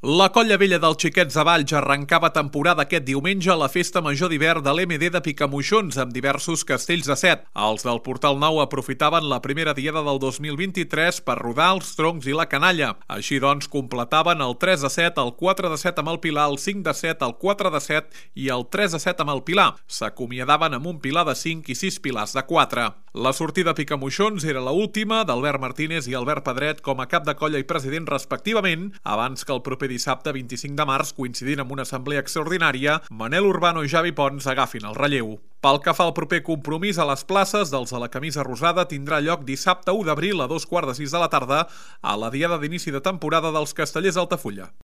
La Colla Vella dels Xiquets de Valls arrencava temporada aquest diumenge a la Festa Major d'Hivern de l'MD de Picamoixons amb diversos castells de set. Els del Portal Nou aprofitaven la primera diada del 2023 per rodar els troncs i la canalla. Així doncs, completaven el 3 de 7, el 4 de 7 amb el Pilar, el 5 de 7, el 4 de 7 i el 3 de 7 amb el Pilar. S'acomiadaven amb un Pilar de 5 i 6 Pilars de 4. La sortida a Picamoixons era l'última d'Albert Martínez i Albert Pedret com a cap de colla i president respectivament, abans que el proper dissabte 25 de març, coincidint amb una assemblea extraordinària, Manel Urbano i Javi Pons agafin el relleu. Pel que fa al proper compromís a les places dels de la camisa rosada, tindrà lloc dissabte 1 d'abril a 2:15 de la tarda a la diada d'inici de temporada dels Castellers d'Altafulla.